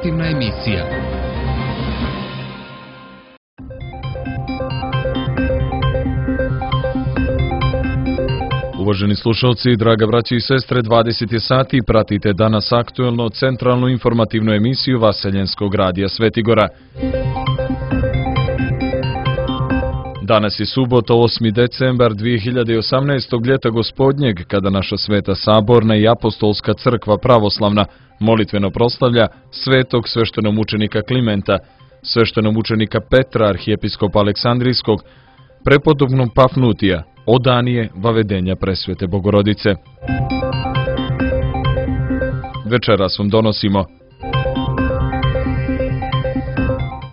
informativna emisija. Uvaženi slušalci, draga braći i sestre, 20 sati, pratite danas aktuelno centralnu informativnu emisiju Vaseljenskog radija Svetigora. Danas je subota, 8. decembar 2018. ljeta gospodnjeg, kada naša Sveta Saborna i Apostolska crkva pravoslavna molitveno proslavlja svetog sveštenomučenika Klimenta, sveštenomučenika Petra, arhijepiskopa Aleksandrijskog, prepodobnog Pafnutija, Odanije, vavedenja presvete Bogorodice. Večeras vam donosimo: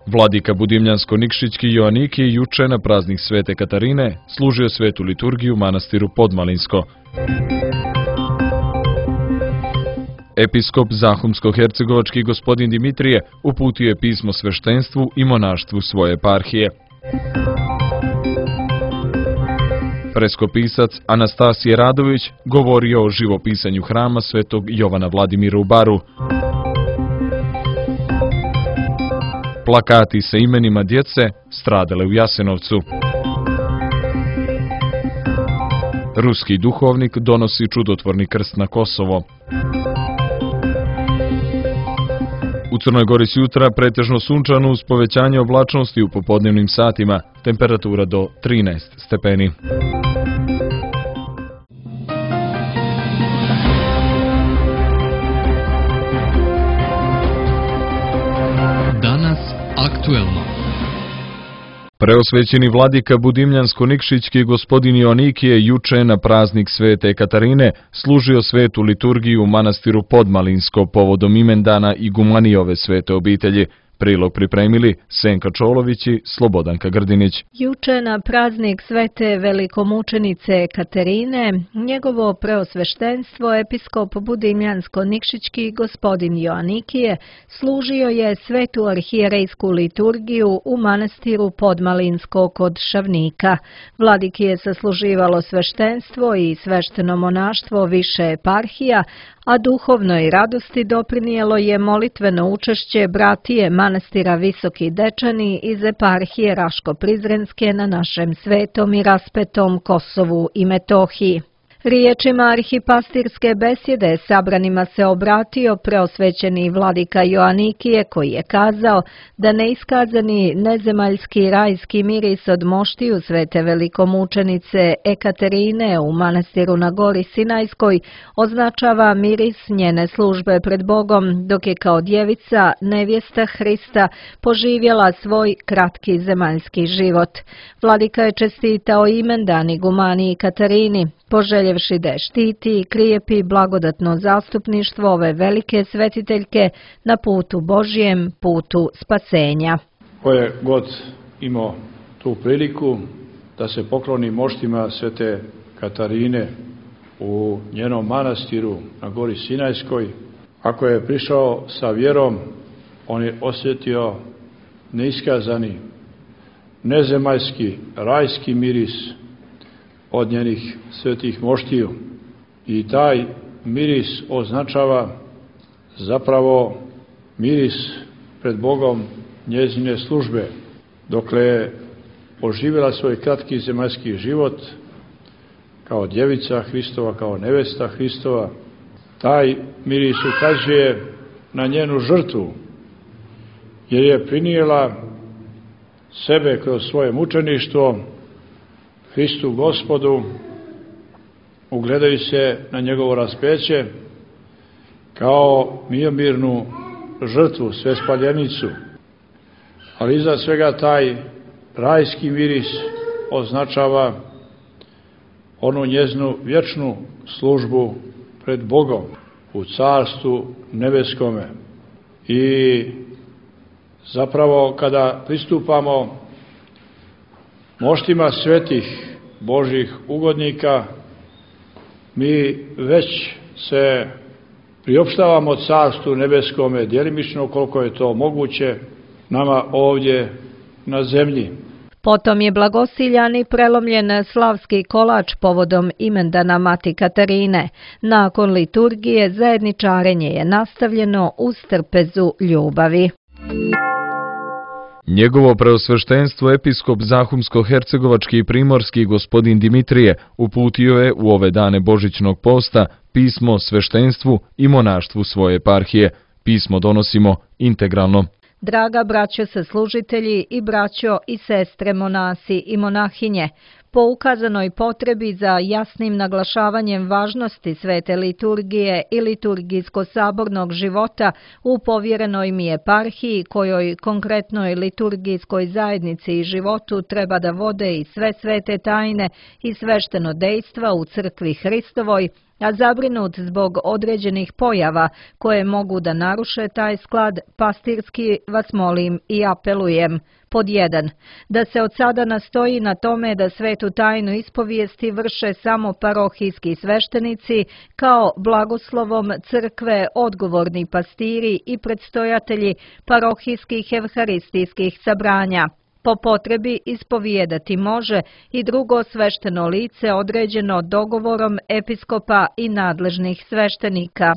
Vladika Budimljansko-Nikšićki Joaniki juče na praznik Svete Katarine služio svetu liturgiju u manastiru Podmalinsko. Episkop Zahumsko-hercegovački gospodin Dimitrije uputio je pismo sveštenstvu i monaštvu svoje eparhije. Preskopisac Anastasije Radović govorio o živopisanju hrama svetog Jovana Vladimira u Baru. Plakati sa imenima djece stradale u Jasenovcu. Ruski duhovnik donosi čudotvorni krst na Kosovo. U Crnoj Gori s jutra pretežno sunčano uz povećanje oblačnosti u popodnevnim satima, temperatura do 13 stepeni. Danas aktuelno. Preosvećeni vladika Budimljansko-Nikšićki gospodin Joanikije juče na praznik Svete Katarine služio svetu liturgiju u manastiru Podmalinsko povodom imendana igumanijove svete obitelji. Prilog pripremili Senka Čolović i Slobodanka Grdinić. Juče na praznik svete velikomučenice Katarine, njegovo preosveštenstvo episkop Budimljansko-Nikšićki gospodin Joanikije služio je svetu arhijerejsku liturgiju u manastiru Podmalinsko kod Šavnika. Vladiki je sasluživalo sveštenstvo i svešteno monaštvo više eparhija, a duhovnoj radosti doprinijelo je molitveno učešće bratije manastira Visoki Dečani iz eparhije Raško-Prizrenske na našem svetom i raspetom Kosovu i Metohiji. Riječima arhipastirske besjede sabranima se obratio preosvećeni vladika Joanikije, koji je kazao da neiskazani nezemaljski rajski miris od moštiju svete velikomučenice Ekaterine u manastiru na Gori Sinajskoj označava miris njene službe pred Bogom, dok je kao djevica, nevjesta Hrista, poživjela svoj kratki zemaljski život. Vladika je čestitao imendan igumaniji Katarini, poželjevši da je štiti i krijepi blagodatno zastupništvo ove velike svetiteljke na putu Božjem, putu spasenja. Ko je god imao tu priliku da se pokloni moštima svete Katarine u njenom manastiru na Gori Sinajskoj, ako je prišao sa vjerom, on je osjetio neiskazani, nezemaljski, rajski miris od njenih svetih moštiju. I taj miris označava zapravo miris pred Bogom njezine službe. Dokle je oživjela svoj kratki zemaljski život kao djevica Hristova, kao nevesta Hristova, taj miris ukazuje na njenu žrtvu, jer je prinijela sebe kroz svoje mučeništvo Hristu Gospodu, ugledaju se na njegovo raspeće kao miomirnu žrtvu, svespaljenicu. Ali iza svega taj rajski miris označava onu njezinu vječnu službu pred Bogom u carstvu nebeskome. I zapravo kada pristupamo moštima svetih Božih ugodnika, mi već se priopštavamo carstvu nebeskome, djelimično koliko je to moguće nama ovdje na zemlji. Potom je blagosiljan i prelomljen slavski kolač povodom imendana Mati Katarine. Nakon liturgije zajedničarenje je nastavljeno uz trpezu ljubavi. Njegovo preosveštenstvo episkop Zahumsko-hercegovački i primorski gospodin Dimitrije uputio je u ove dane Božićnog posta pismo sveštenstvu i monaštvu svoje eparhije. Pismo donosimo integralno. Draga braćo saslužitelji i braćo i sestre monasi i monahinje, po ukazanoj potrebi za jasnim naglašavanjem važnosti svete liturgije i liturgijsko-sabornog života u povjerenoj mi eparhiji, kojoj konkretnoj liturgijskoj zajednici i životu treba da vode i sve svete tajne i svešteno dejstva u crkvi Hristovoj, a zabrinut zbog određenih pojava koje mogu da naruše taj sklad, pastirski vas molim i apelujem. Pod 1. Da se od sada nastoji na tome da svetu tajnu ispovijesti vrše samo parohijski sveštenici, kao blagoslovom crkve odgovorni pastiri i predstojatelji parohijskih evharistijskih sabranja. Po potrebi ispovijedati može i drugo svešteno lice određeno dogovorom episkopa i nadležnih sveštenika.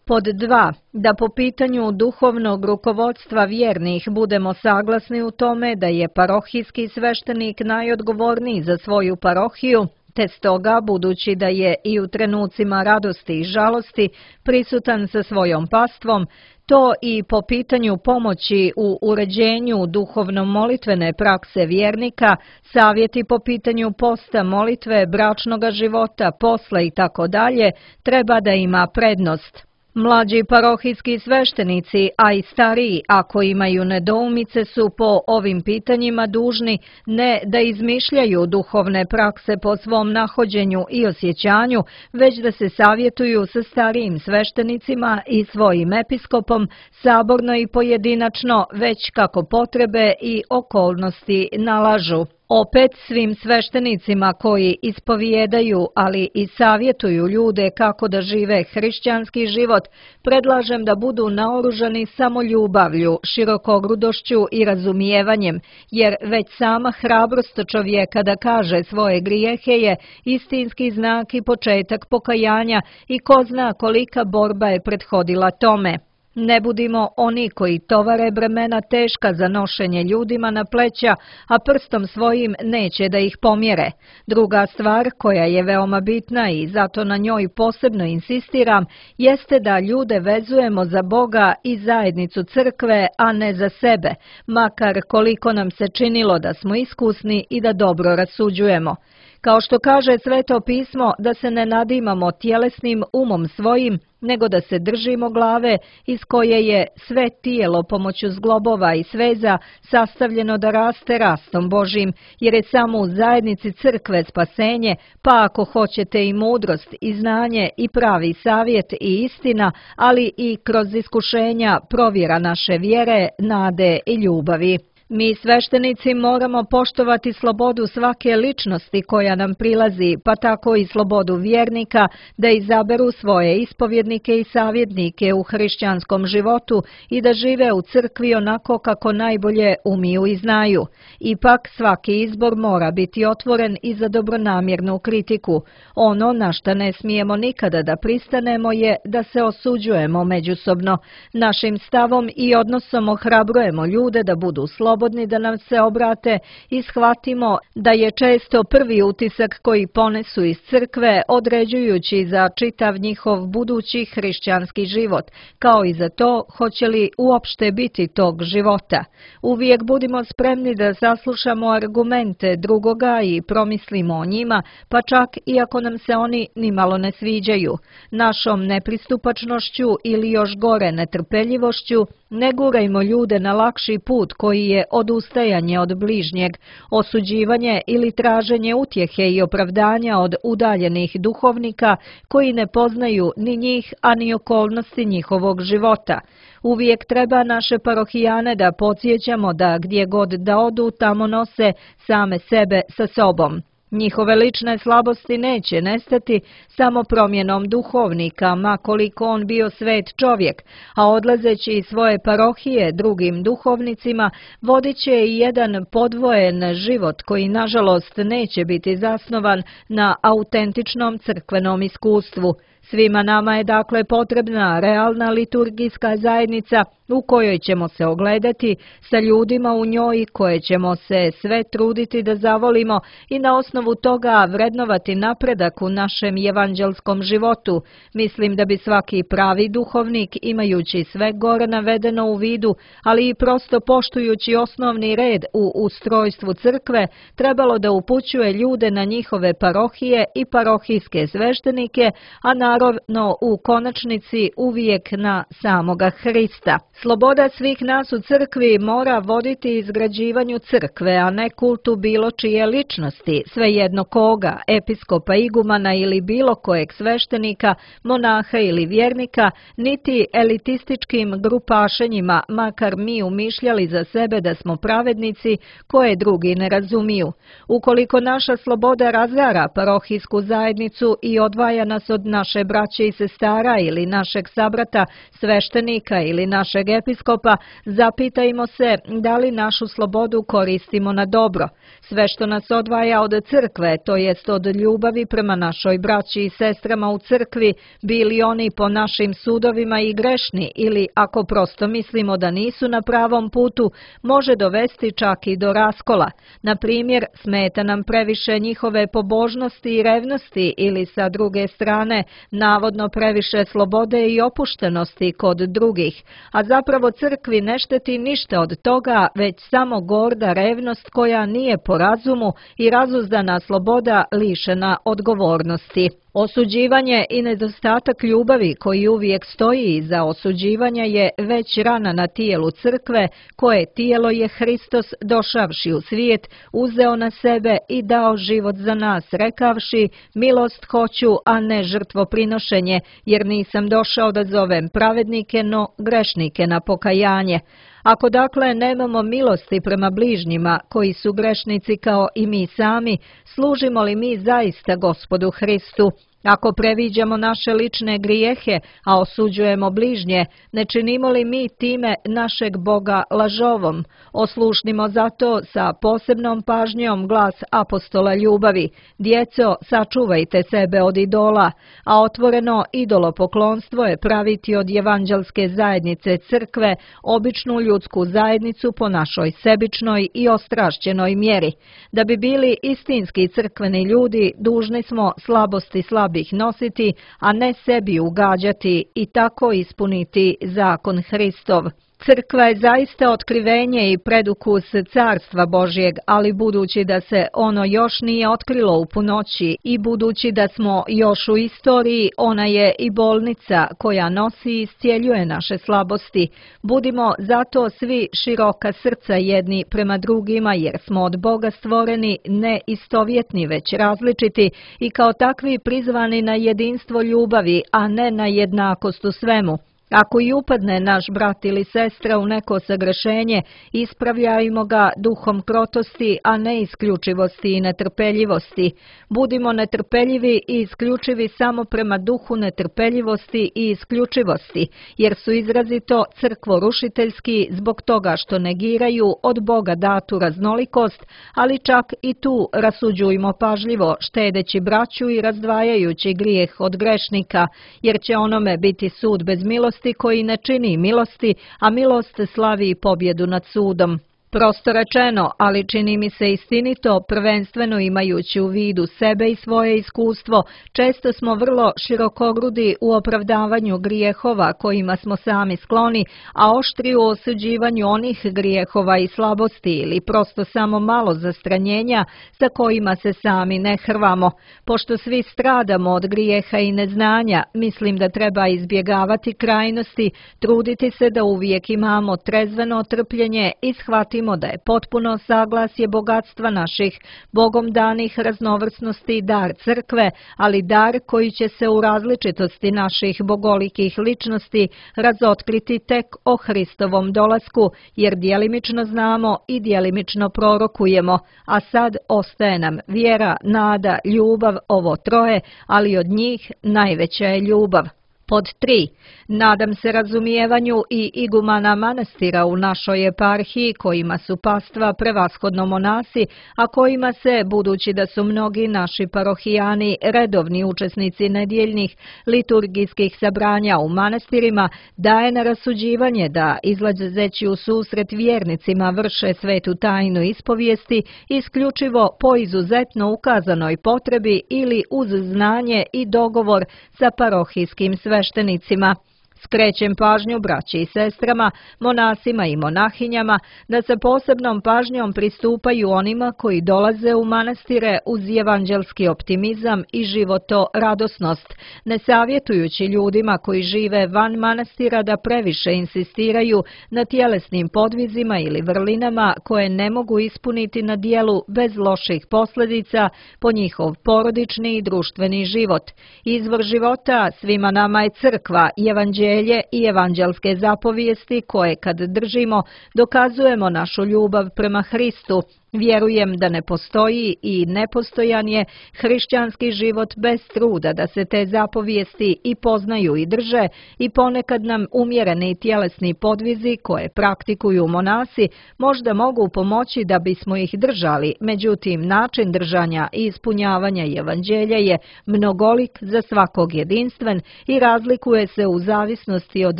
Pod 2. Da po pitanju duhovnog rukovodstva vjernih budemo saglasni u tome da je parohijski sveštenik najodgovorniji za svoju parohiju, te stoga, budući da je i u trenucima radosti i žalosti prisutan sa svojom pastvom, to i po pitanju pomoći u uređenju duhovno-molitvene prakse vjernika, savjeti po pitanju posta, molitve, bračnoga života, posla i tako dalje, treba da ima prednost. Mlađi parohijski sveštenici, a i stariji, ako imaju nedoumice, su po ovim pitanjima dužni ne da izmišljaju duhovne prakse po svom nahođenju i osjećanju, već da se savjetuju sa starijim sveštenicima i svojim episkopom, saborno i pojedinačno, već kako potrebe i okolnosti nalažu. Opet svim sveštenicima koji ispovijedaju, ali i savjetuju ljude kako da žive hrišćanski život, predlažem da budu naoružani samo ljubavlju, širokogrudošću i razumijevanjem, jer već sama hrabrost čovjeka da kaže svoje grijehe je istinski znak i početak pokajanja i ko zna kolika borba je prethodila tome. Ne budimo oni koji tovare bremena teška za nošenje ljudima na pleća, a prstom svojim neće da ih pomjere. Druga stvar koja je veoma bitna i zato na njoj posebno insistiram, jeste da ljude vezujemo za Boga i zajednicu crkve, a ne za sebe, makar koliko nam se činilo da smo iskusni i da dobro rasuđujemo. Kao što kaže Sveto pismo, da se ne nadimamo tjelesnim umom svojim, nego da se držimo glave iz koje je sve tijelo pomoću zglobova i sveza sastavljeno da raste rastom Božim, jer je samo u zajednici crkve spasenje, pa ako hoćete i mudrost i znanje i pravi savjet i istina, ali i kroz iskušenja provjera naše vjere, nade i ljubavi. Mi sveštenici moramo poštovati slobodu svake ličnosti koja nam prilazi, pa tako i slobodu vjernika da izaberu svoje ispovjednike i savjetnike u hrišćanskom životu i da žive u crkvi onako kako najbolje umiju i znaju. Ipak svaki izbor mora biti otvoren i za dobronamjernu kritiku. Ono na šta ne smijemo nikada da pristanemo je da se osuđujemo međusobno. Našim stavom i odnosom ohrabrujemo ljude da budu slobodni, da nam se obrate i shvatimo da je često prvi utisak koji ponesu iz crkve određujući za čitav njihov budući hrišćanski život, kao i za to hoće li uopšte biti tog života. Uvijek budimo spremni da saslušamo argumente drugoga i promislimo o njima, pa čak i ako nam se oni nimalo ne sviđaju. Našom nepristupačnošću ili još gore netrpeljivošću ne gurajmo ljude na lakši put koji je odustajanje od bližnjeg, osuđivanje ili traženje utjehe i opravdanja od udaljenih duhovnika koji ne poznaju ni njih, a ni okolnosti njihovog života. Uvijek treba naše parohijane da podsjećamo da gdje god da odu tamo nose same sebe sa sobom. Njihove lične slabosti neće nestati samo promjenom duhovnika, ma koliko on bio svet čovjek, a odlazeći iz svoje parohije drugim duhovnicima, vodit će i jedan podvojen život koji nažalost neće biti zasnovan na autentičnom crkvenom iskustvu. Svima nama je dakle potrebna realna liturgijska zajednica u kojoj ćemo se ogledati, sa ljudima u njoj koje ćemo se sve truditi da zavolimo i na osnovu toga vrednovati napredak u našem evanđelskom životu. Mislim da bi svaki pravi duhovnik, imajući sve gore navedeno u vidu, ali i prosto poštujući osnovni red u ustrojstvu crkve, trebalo da upućuje ljude na njihove parohije i parohijske sveštenike, a naravno u konačnici uvijek na samoga Hrista. Sloboda svih nas u crkvi mora voditi izgrađivanju crkve, a ne kultu bilo čije ličnosti, svejedno koga, episkopa, igumana ili bilo kojeg sveštenika, monaha ili vjernika, niti elitističkim grupašenjima, makar mi umišljali za sebe da smo pravednici koje drugi ne razumiju. Ukoliko naša sloboda razara parohijsku zajednicu i odvaja nas od naše braće i sestara ili našeg sabrata, sveštenika ili našeg episkopa, zapitajmo se da li našu slobodu koristimo na dobro. Sve što nas odvaja od crkve, to jest od ljubavi prema našoj braći i sestrama u crkvi, bili oni po našim sudovima i grešni ili ako prosto mislimo da nisu na pravom putu, može dovesti čak i do raskola. Na primjer, smeta nam previše njihove pobožnosti i revnosti ili sa druge strane navodno previše slobode i opuštenosti kod drugih, a zapravo crkvi ne šteti ništa od toga, već samo gorda revnost koja nije po razumu i razuzdana sloboda lišena odgovornosti. Osuđivanje i nedostatak ljubavi koji uvijek stoji iza osuđivanja je već rana na tijelu crkve, koje tijelo je Hristos došavši u svijet, uzeo na sebe i dao život za nas, rekavši: milost hoću, a ne žrtvoprinošenje, jer nisam došao da zovem pravednike, no grešnike na pokajanje. Ako dakle nemamo milosti prema bližnjima, koji su grešnici kao i mi sami, služimo li mi zaista Gospodu Hristu? Ako previđamo naše lične grijehe, a osuđujemo bližnje, ne činimo li mi time našeg Boga lažovom? Oslušnimo zato sa posebnom pažnjom glas apostola ljubavi: djeco, sačuvajte sebe od idola, a otvoreno idolopoklonstvo je praviti od evanđelske zajednice crkve običnu ljudsku zajednicu po našoj sebičnoj i ostrašćenoj mjeri. Da bi bili istinski crkveni ljudi, dužni smo slabosti slabih nositi, a ne sebi ugađati i tako ispuniti zakon Hristov. Crkva je zaista otkrivenje i predukus Carstva Božjeg, ali budući da se ono još nije otkrilo u punoći i budući da smo još u istoriji, ona je i bolnica koja nosi i iscijeljuje naše slabosti. Budimo zato svi široka srca jedni prema drugima, jer smo od Boga stvoreni ne istovjetni, već različiti i kao takvi prizvani na jedinstvo ljubavi, a ne na jednakost u svemu. Ako i upadne naš brat ili sestra u neko sagrešenje, ispravljajmo ga duhom krotosti, a ne isključivosti i netrpeljivosti. Budimo netrpeljivi i isključivi samo prema duhu netrpeljivosti i isključivosti, jer su izrazito crkvorušiteljski zbog toga što negiraju od Boga datu raznolikost, ali čak i tu rasuđujmo pažljivo, štedeći braću i razdvajajući grijeh od grešnika, jer će onome biti sud bez milosti koji ne čini milosti, a milost slavi pobjedu nad sudom. Prosto rečeno, ali čini mi se istinito, prvenstveno imajući u vidu sebe i svoje iskustvo, često smo vrlo širokogrudi u opravdavanju grijehova kojima smo sami skloni, a oštri u osuđivanju onih grijehova i slabosti ili prosto samo malo zastranjenja sa kojima se sami ne hrvamo. Pošto svi stradamo od grijeha i neznanja, mislim da treba izbjegavati krajnosti, truditi se da uvijek imamo trezveno trpljenje i shvatiti shvatimo da je potpuno saglasje bogatstva naših Bogom danih raznovrsnosti dar crkve, ali dar koji će se u različitosti naših bogolikih ličnosti razotkriti tek o Hristovom dolasku, jer djelimično znamo i djelimično prorokujemo, a sad ostaje nam vjera, nada, ljubav, ovo troje, ali od njih najveća je ljubav. Pod 3. Nadam se razumijevanju i igumana manastira u našoj eparhiji, kojima su pastva prevashodno monasi, a kojima se, budući da su mnogi naši parohijani redovni učesnici nedjeljnih liturgijskih sabranja u manastirima, daje na rasuđivanje da, izlazeći u susret vjernicima, vrše svetu tajnu ispovijesti isključivo po izuzetno ukazanoj potrebi ili uz znanje i dogovor sa parohijskim sveštenicima. Skrećem pažnju braći i sestrama, monasima i monahinjama, da se posebnom pažnjom pristupaju onima koji dolaze u manastire uz evanđelski optimizam i životoradosnost, ne savjetujući ljudima koji žive van manastira da previše insistiraju na tjelesnim podvizima ili vrlinama koje ne mogu ispuniti na dijelu bez loših posljedica po njihov porodični i društveni život. Izvor života svima nama je crkva, evanđelje i evanđelske zapovijesti koje kad držimo dokazujemo našu ljubav prema Hristu. Vjerujem da ne postoji i nepostojan je hrišćanski život bez truda da se te zapovijesti i poznaju i drže, i ponekad nam umjereni tjelesni podvizi koje praktikuju monasi možda mogu pomoći da bismo ih držali, međutim način držanja i ispunjavanja evanđelja je mnogolik, za svakog jedinstven i razlikuje se u zavisnosti od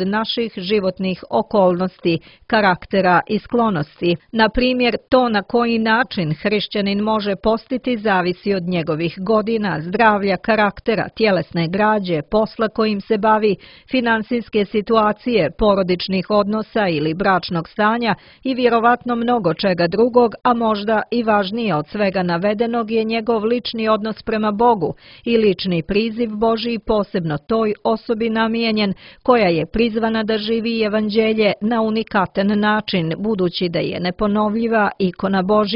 naših životnih okolnosti, karaktera i sklonosti. Na primjer, to na koji način hrišćanin može postiti zavisi od njegovih godina, zdravlja, karaktera, tjelesne građe, posla kojim se bavi, financijske situacije, porodičnih odnosa ili bračnog stanja i vjerovatno mnogo čega drugog, a možda i važnije od svega navedenog je njegov lični odnos prema Bogu i lični priziv Božji, posebno toj osobi namijenjen koja je prizvana da živi evanđelje na unikatan način, budući da je neponovljiva ikona Božja.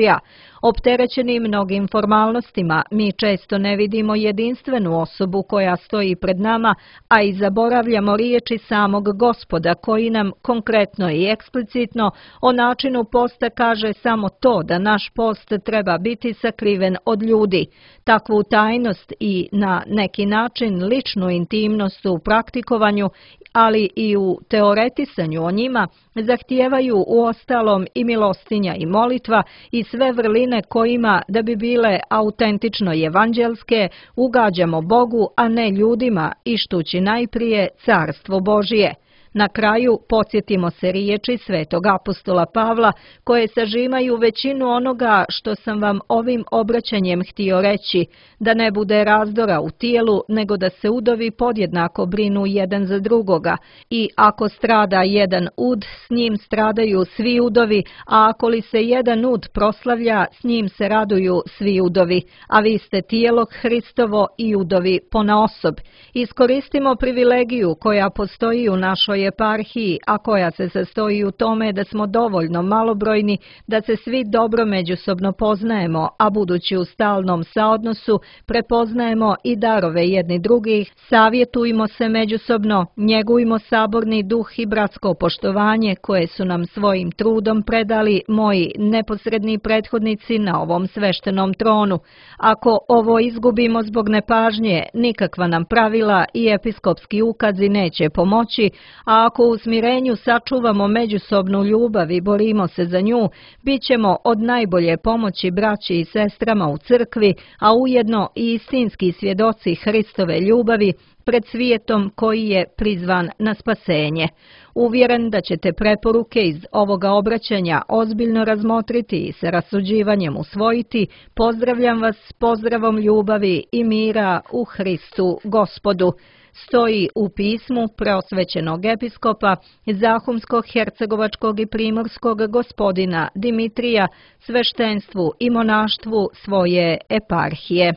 Opterećeni mnogim formalnostima, mi često ne vidimo jedinstvenu osobu koja stoji pred nama, a i zaboravljamo riječi samog Gospoda koji nam konkretno i eksplicitno o načinu posta kaže samo to da naš post treba biti sakriven od ljudi. Takvu tajnost i na neki način ličnu intimnost u praktikovanju, ali i u teoretisanju o njima, zahtijevaju uostalom i milostinja i molitva i sve vrline kojima, da bi bile autentično evanđelske, ugađamo Bogu, a ne ljudima, ištući najprije carstvo Božije. Na kraju podsjetimo se riječi svetog apostola Pavla koje sažimaju većinu onoga što sam vam ovim obraćanjem htio reći, da ne bude razdora u tijelu, nego da se udovi podjednako brinu jedan za drugoga, i ako strada jedan ud, s njim stradaju svi udovi, a ako li se jedan ud proslavlja, s njim se raduju svi udovi, a vi ste tijelo Hristovo i udovi ponaosob. Iskoristimo privilegiju koja postoji u našoj eparhiji, a koja se sastoji u tome da smo dovoljno malobrojni da se svi dobro međusobno poznajemo, a budući u stalnom saodnosu prepoznajemo i darove jedni drugih, savjetujmo se međusobno, njegujmo saborni duh i bratsko poštovanje koje su nam svojim trudom predali moji neposredni prethodnici na ovom sveštenom tronu. Ako ovo izgubimo zbog nepažnje, nikakva nam pravila i episkopski ukazi neće pomoći, a ako u smirenju sačuvamo međusobnu ljubav i borimo se za nju, bit ćemo od najbolje pomoći braći i sestrama u crkvi, a ujedno i istinski svjedoci Hristove ljubavi pred svijetom koji je prizvan na spasenje. Uvjeren da ćete preporuke iz ovoga obraćanja ozbiljno razmotriti i sa rasuđivanjem usvojiti, pozdravljam vas s pozdravom ljubavi i mira u Hristu Gospodu. Stoji u pismu preosvećenog episkopa Zahumsko-hercegovačkog i primorskog gospodina Dimitrija sveštenstvu i monaštvu svoje eparhije.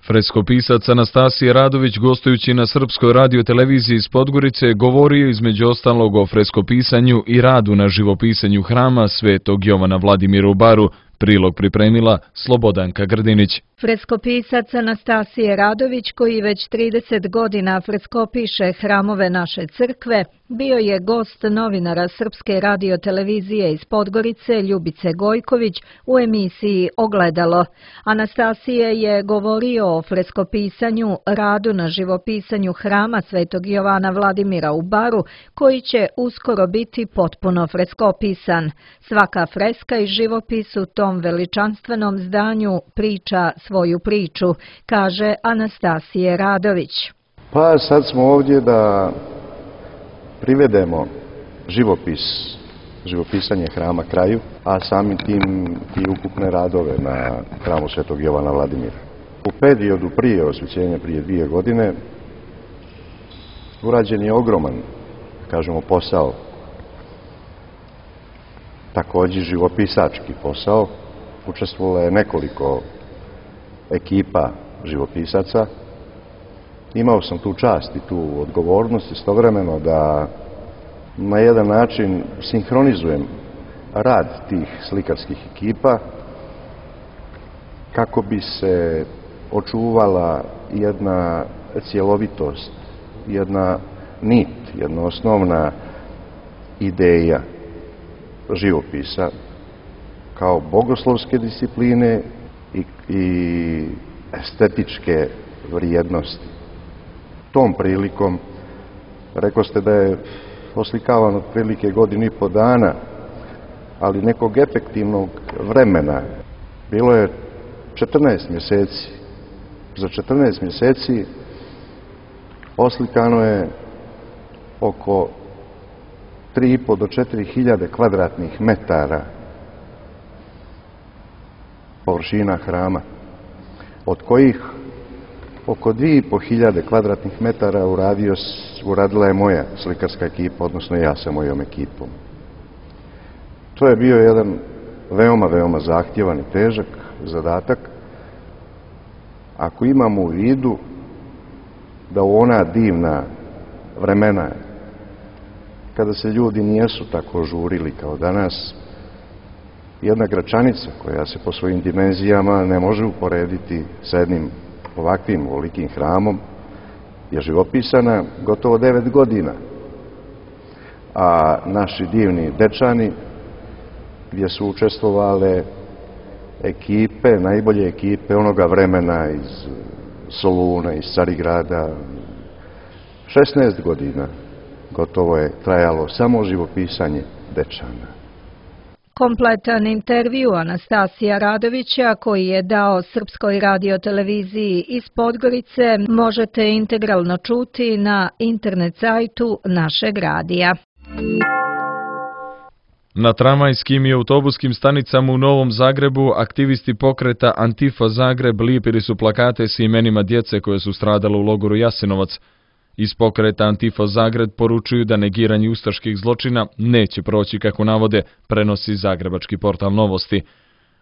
Freskopisac Anastasije Radović, gostujući na Srpskoj radioteleviziji iz Podgorice, govorio između ostalog o freskopisanju i radu na živopisanju hrama Svetog Jovana Vladimira u Baru. Prilog pripremila Slobodanka Grdinić. Freskopisac Anastasije Radović, koji već 30 godina freskopiše hramove naše crkve, bio je gost novinara Srpske radiotelevizije iz Podgorice Ljubice Gojković u emisiji Ogledalo. Anastasije je govorio o freskopisanju, radu na živopisanju hrama Svetog Jovana Vladimira u Baru, koji će uskoro biti potpuno freskopisan. Svaka freska i živopis u tom veličanstvenom zdanju priča svoju priču, kaže Anastasije Radović. Pa sad smo ovdje da privedemo živopisanje hrama kraju, a samim tim i ukupne radove na hramu Svetog Jovana Vladimira. U periodu prije osvećenja, prije 2 godine, urađen je ogroman, kažemo, posao. Također živopisački posao. Učestvovalo je nekoliko ekipa živopisaca. Imao sam tu čast i tu odgovornost istovremeno da na jedan način sinhronizujem rad tih slikarskih ekipa kako bi se očuvala jedna cjelovitost, jedna nit, jedna osnovna ideja živopisa kao bogoslovske discipline i estetičke vrijednosti. Tom prilikom, rekao ste da je oslikavan otprilike 1,5 godine, ali nekog efektivnog vremena. Bilo je 14 mjeseci. Za 14 mjeseci oslikano je oko 3,5 do 4.000 kvadratnih metara površina hrama, od kojih oko 2.500 kvadratnih metara uradila je moja slikarska ekipa, odnosno ja sa mojom ekipom. To je bio jedan veoma zahtjevan i težak zadatak, ako imamo u vidu da u ona divna vremena, kada se ljudi nijesu tako žurili kao danas, jedna Gračanica koja se po svojim dimenzijama ne može uporediti sa jednim ovakvim velikim hramom, je živopisana gotovo 9 godina. A naši divni Dečani, gdje su učestvovale ekipe, najbolje ekipe onoga vremena iz Soluna, iz Carigrada, 16 godina gotovo je trajalo samo živopisanje Dečana. Kompletan intervju Anastasija Radovića, koji je dao Srpskoj radioteleviziji iz Podgorice, možete integralno čuti na internet sajtu našeg radija. Na tramvajskim i autobuskim stanicama u Novom Zagrebu aktivisti pokreta Antifa Zagreb lijepili su plakate s imenima djece koje su stradale u logoru Jasenovac. Iz pokreta Antifa Zagreb poručuju da negiranje ustaških zločina neće proći kako navode, prenosi zagrebački portal Novosti.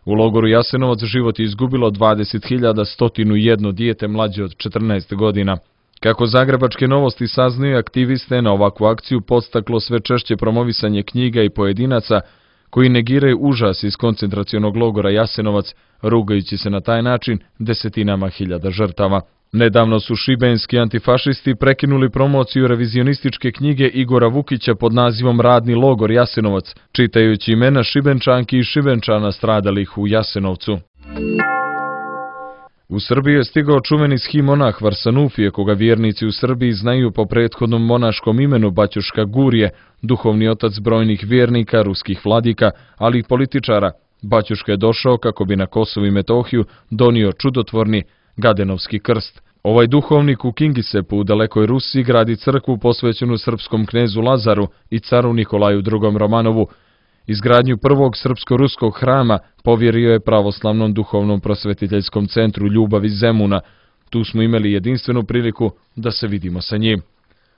U logoru Jasenovac život je izgubilo 20.101 dijete mlađe od 14 godina. Kako zagrebačke Novosti saznaju, aktiviste na ovakvu akciju podstaklo sve češće promovisanje knjiga i pojedinaca koji negiraju užas iz koncentracionog logora Jasenovac, rugajući se na taj način desetinama hiljada žrtava. Nedavno su šibenski antifašisti prekinuli promociju revizionističke knjige Igora Vukića pod nazivom Radni logor Jasenovac, čitajući imena Šibenčanki i Šibenčana stradalih u Jasenovcu. U Srbiji je stigao čuveni schimonah Varsanufije, koga vjernici u Srbiji znaju po prethodnom monaškom imenu Baćuška Gurije, duhovni otac brojnih vjernika, ruskih vladika, ali i političara. Baćuška je došao kako bi na Kosovu i Metohiju donio čudotvorni Gadenovski krst. Ovaj duhovnik u Kingisepu u dalekoj Rusiji gradi crkvu posvećenu srpskom knezu Lazaru i caru Nikolaju II. Romanovu. Izgradnju prvog srpsko-ruskog hrama povjerio je pravoslavnom duhovnom prosvetiteljskom centru Ljubav iz Zemuna. Tu smo imali jedinstvenu priliku da se vidimo sa njim.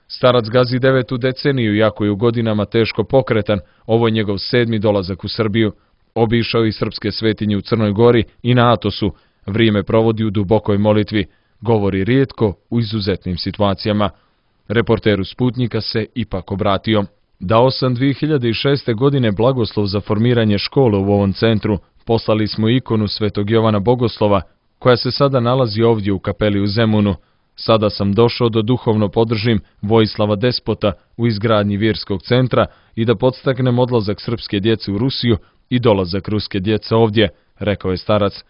Starac gazi 9. deceniju, iako je u godinama teško pokretan, ovo je njegov 7. dolazak u Srbiju. Obišao i srpske svetinje u Crnoj Gori i na Atosu, Vrijeme provodi u dubokoj molitvi, govori rijetko u izuzetnim situacijama. Reporteru Sputnika se ipak obratio. Dao sam 2006. godine blagoslov za formiranje škole u ovom centru. Poslali smo ikonu Svetog Jovana Bogoslova, koja se sada nalazi ovdje u kapeli u Zemunu. Sada sam došao da duhovno podržim Vojislava Despota u izgradnji vjerskog centra i da podstaknem odlazak srpske djece u Rusiju i dolazak ruske djece ovdje, rekao je starac.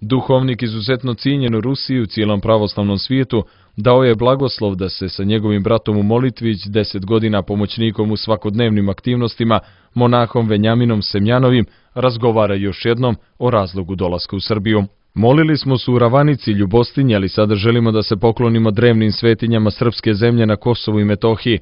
Duhovnik izuzetno cijenjen u Rusiji u cijelom pravoslavnom svijetu dao je blagoslov da se sa njegovim bratom u molitvi 10 godina pomoćnikom u svakodnevnim aktivnostima, monahom Venjaminom Semjanovim, razgovara još jednom o razlogu dolaska u Srbiju. Molili smo se u Ravanici, Ljubostinji, ali sada želimo da se poklonimo drevnim svetinjama srpske zemlje na Kosovu i Metohiji.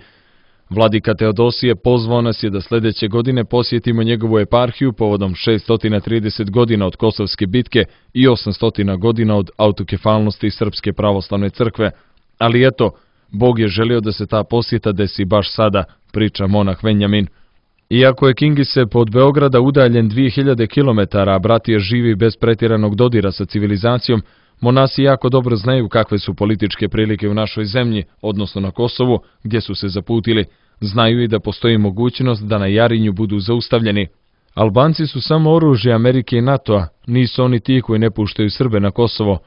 Vladika Teodosije pozvao nas je da sljedeće godine posjetimo njegovu eparhiju povodom 630 godina od Kosovske bitke i 800 godina od autokefalnosti Srpske pravoslavne crkve. Ali eto, Bog je želio da se ta posjeta desi baš sada, priča monah Venjamin. Iako je Kingisep od Beograda udaljen 2000 km, a bratije živi bez pretjeranog dodira sa civilizacijom, monasi jako dobro znaju kakve su političke prilike u našoj zemlji, odnosno na Kosovu, gdje su se zaputili. Znaju i da postoji mogućnost da na Jarinju budu zaustavljeni. Albanci su samo oružje Amerike i NATO-a, nisu oni ti koji ne puštaju Srbe na Kosovo.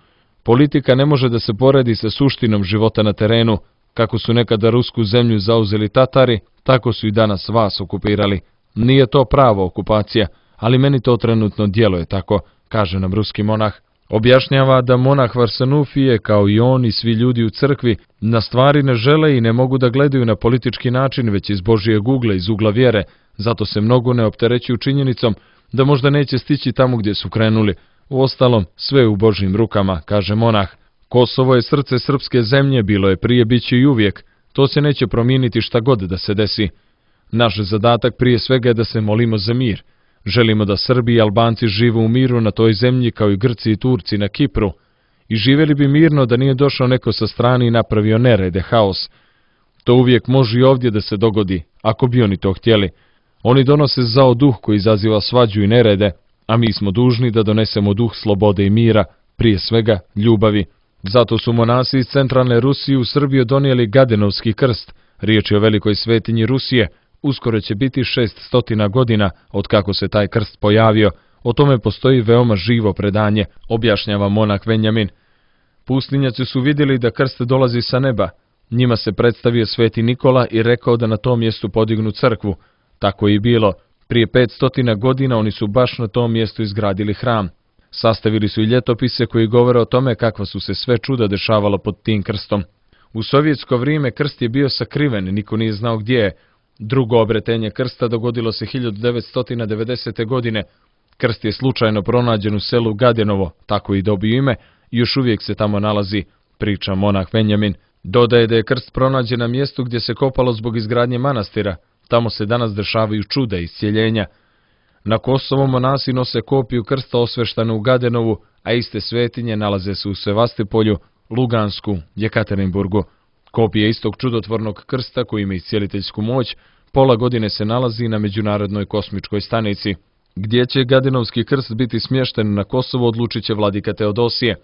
Politika ne može da se poredi sa suštinom života na terenu. Kako su nekada rusku zemlju zauzeli Tatari, tako su i danas vas okupirali. Nije to prava okupacija, ali meni to trenutno djeluje tako, kaže nam ruski monah. Objašnjava da monah Varsanufije, kao i on i svi ljudi u crkvi, na stvari ne žele i ne mogu da gledaju na politički način, već iz Božijeg ugla, iz ugla vjere, zato se mnogo ne opterećuju činjenicom da možda neće stići tamo gdje su krenuli. Uostalom, sve je u Božjim rukama, kaže monah. Kosovo je srce srpske zemlje, bilo je prije, bit će i uvijek. To se neće promijeniti šta god da se desi. Naš zadatak prije svega je da se molimo za mir. Želimo da Srbi i Albanci žive u miru na toj zemlji kao i Grci i Turci na Kipru. I živjeli bi mirno da nije došao neko sa strane i napravio nerede, haos. To uvijek može i ovdje da se dogodi, ako bi oni to htjeli. Oni donose zao duh koji izaziva svađu i nerede, a mi smo dužni da donesemo duh slobode i mira, prije svega ljubavi. Zato su monasi iz centralne Rusije u Srbiju donijeli Gadenovski krst, riječ je o velikoj svetinji Rusije. Uskoro će biti 600 godina od kako se taj krst pojavio. O tome postoji veoma živo predanje, objašnjava monah Venjamin. Pustinjaci su vidjeli da krst dolazi sa neba. Njima se predstavio sveti Nikola i rekao da na tom mjestu podignu crkvu. Tako je i bilo. Prije 500 godina oni su baš na tom mjestu izgradili hram. Sastavili su i ljetopise koji govore o tome kakva su se sve čuda dešavala pod tim krstom. U sovjetsko vrijeme krst je bio sakriven, niko nije znao gdje je. Drugo obretenje krsta dogodilo se 1990. godine. Krst je slučajno pronađen u selu Gadenovo, tako i dobio ime, i još uvijek se tamo nalazi, priča monah Venjamin. Dodaje da je krst pronađen na mjestu gdje se kopalo zbog izgradnje manastira. Tamo se danas dešavaju čuda i iscjeljenja. Na Kosovo monasi nose kopiju krsta osveštanu u Gadenovu, a iste svetinje nalaze se u Sevastopolju, Lugansku, Jekaterinburgu. Kopija istog čudotvornog krsta koji ima iscijeliteljsku moć pola godine se nalazi na Međunarodnoj kosmičkoj stanici. Gdje će Gadenovski krst biti smješten na Kosovo odlučit će vladika Teodosije.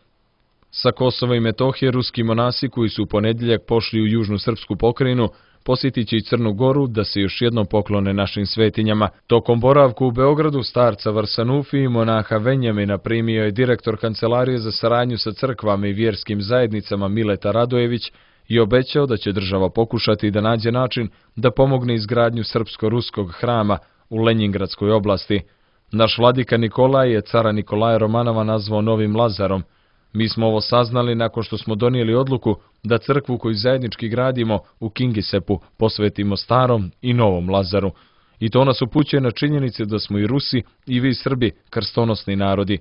Sa Kosova i Metohije ruski monasi koji su u ponedjeljak pošli u južnu srpsku pokrajinu posjetit će i Crnu Goru da se još jednom poklone našim svetinjama. Tokom boravku u Beogradu starca Varsanufi i monaha Venjamina primio je direktor Kancelarije za saradnju sa crkvama i vjerskim zajednicama Mileta Radojević i obećao da će država pokušati da nađe način da pomogne izgradnju srpsko-ruskog hrama u Lenjingradskoj oblasti. Naš vladika Nikolaj je cara Nikolaja Romanova nazvao Novim Lazarom. Mi smo ovo saznali nakon što smo donijeli odluku da crkvu koju zajednički gradimo u Kingisepu posvetimo starom i novom Lazaru. I to nas upućuje na činjenice da smo i Rusi i vi Srbi krstonosni narodi.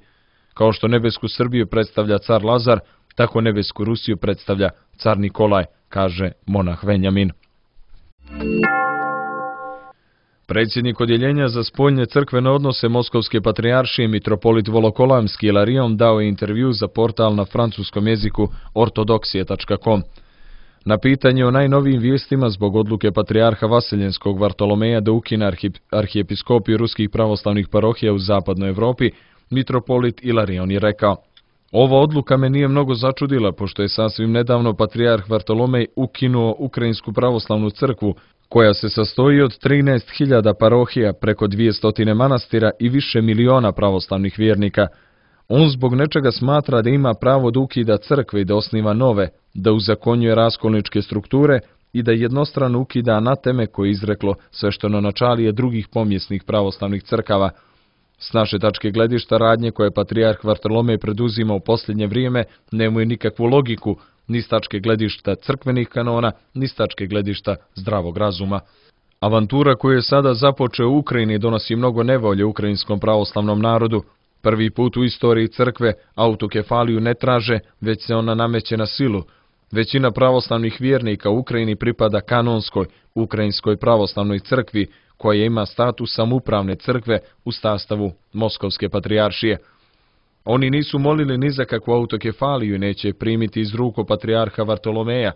Kao što nebesku Srbiju predstavlja car Lazar, tako nebesku Rusiju predstavlja car Nikolaj, kaže monah Venjamin. Predsjednik odjeljenja za spoljne crkvene odnose Moskovske patrijaršije mitropolit Volokolamski Ilarion dao je intervju za portal na francuskom jeziku ortodoksije.com. Na pitanje o najnovijim vijestima zbog odluke patrijarha Vaseljenskog Vartolomeja da ukine arhijepiskopiju ruskih pravoslavnih parohija u zapadnoj Europi, mitropolit Ilarion je rekao: Ova odluka me nije mnogo začudila, pošto je sasvim nedavno patrijarh Vartolomej ukinuo Ukrajinsku pravoslavnu crkvu, koja se sastoji od 13.000 parohija, preko 200 manastira i više miliona pravoslavnih vjernika. On zbog nečega smatra da ima pravo da ukida crkve i da osniva nove, da uzakonjuje raskolničke strukture i da jednostrano ukida anateme koje je izreklo sveštenonačalije drugih pomjesnih pravoslavnih crkava. S naše tačke gledišta radnje koje patrijarh Vartolomej preduzima u posljednje vrijeme nemaju nikakvu logiku, ni s tačke gledišta crkvenih kanona, ni s tačke gledišta zdravog razuma. Avantura koju je sada započeo u Ukrajini donosi mnogo nevolje ukrajinskom pravoslavnom narodu. Prvi put u istoriji crkve autokefaliju ne traže, već se ona nameće na silu. Većina pravoslavnih vjernika u Ukrajini pripada kanonskoj, ukrajinskoj pravoslavnoj crkvi, koja ima status samoupravne crkve u sastavu Moskovske patrijaršije. Oni nisu molili ni za kakvu autokefaliju i neće primiti iz ruku patrijarha Vartolomeja.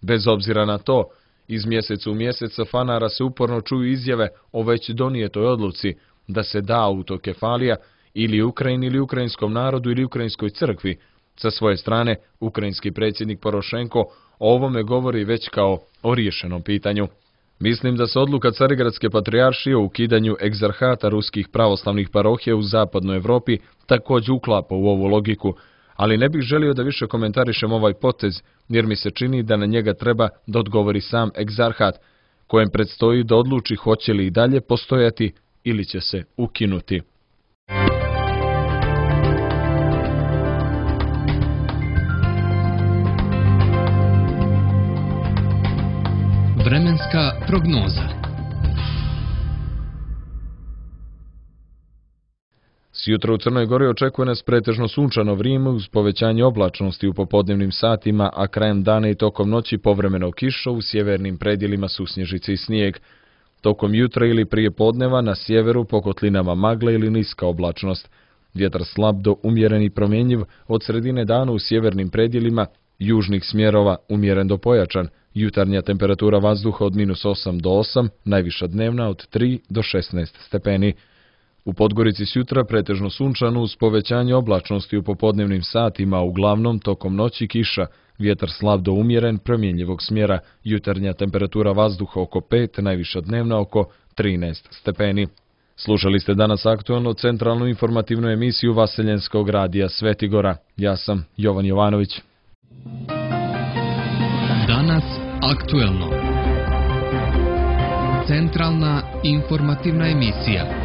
Bez obzira na to, iz mjeseca u mjesec sa fanara se uporno čuju izjave o već donijetoj odluci da se da autokefalija ili Ukrajini ili ukrajinskom narodu ili ukrajinskoj crkvi. Sa svoje strane, ukrajinski predsjednik Porošenko o ovome govori već kao o riješenom pitanju. Mislim da se odluka Carigradske patrijaršije o ukidanju egzarhata ruskih pravoslavnih parohija u zapadnoj Europi također uklapa u ovu logiku, ali ne bih želio da više komentarišem ovaj potez, jer mi se čini da na njega treba da odgovori sam egzarhat, kojem predstoji da odluči hoće li i dalje postojati ili će se ukinuti. Vremenska prognoza. Sjutra u Crnoj Gori očekuje nas pretežno sunčano vrijeme uz povećanje oblačnosti u popodnevnim satima, a krajem dana i tokom noći povremeno kiša, u sjevernim predjelima susnježice i snijeg. Tokom jutra ili prije podneva na sjeveru po kotlinama magla ili niska oblačnost. Vjetar slab do umjeren i promjenjiv, od sredine dana u sjevernim predjelima južnih smjerova umjeren do pojačan. Jutarnja temperatura vazduha od -8 do 8, najviša dnevna od 3 do 16 stepeni. U Podgorici sjutra pretežno sunčano uz povećanje oblačnosti u popodnevnim satima, uglavnom tokom noći kiša, vjetar slab do umjeren promjenjivog smjera, jutarnja temperatura vazduha oko 5, najviša dnevna oko 13 stepeni. Slušali ste danas aktualno centralnu informativnu emisiju Vaseljenskog radija Svetigora. Ja sam Jovan Jovanović. Danas aktuelno. Centralna informativna emisija.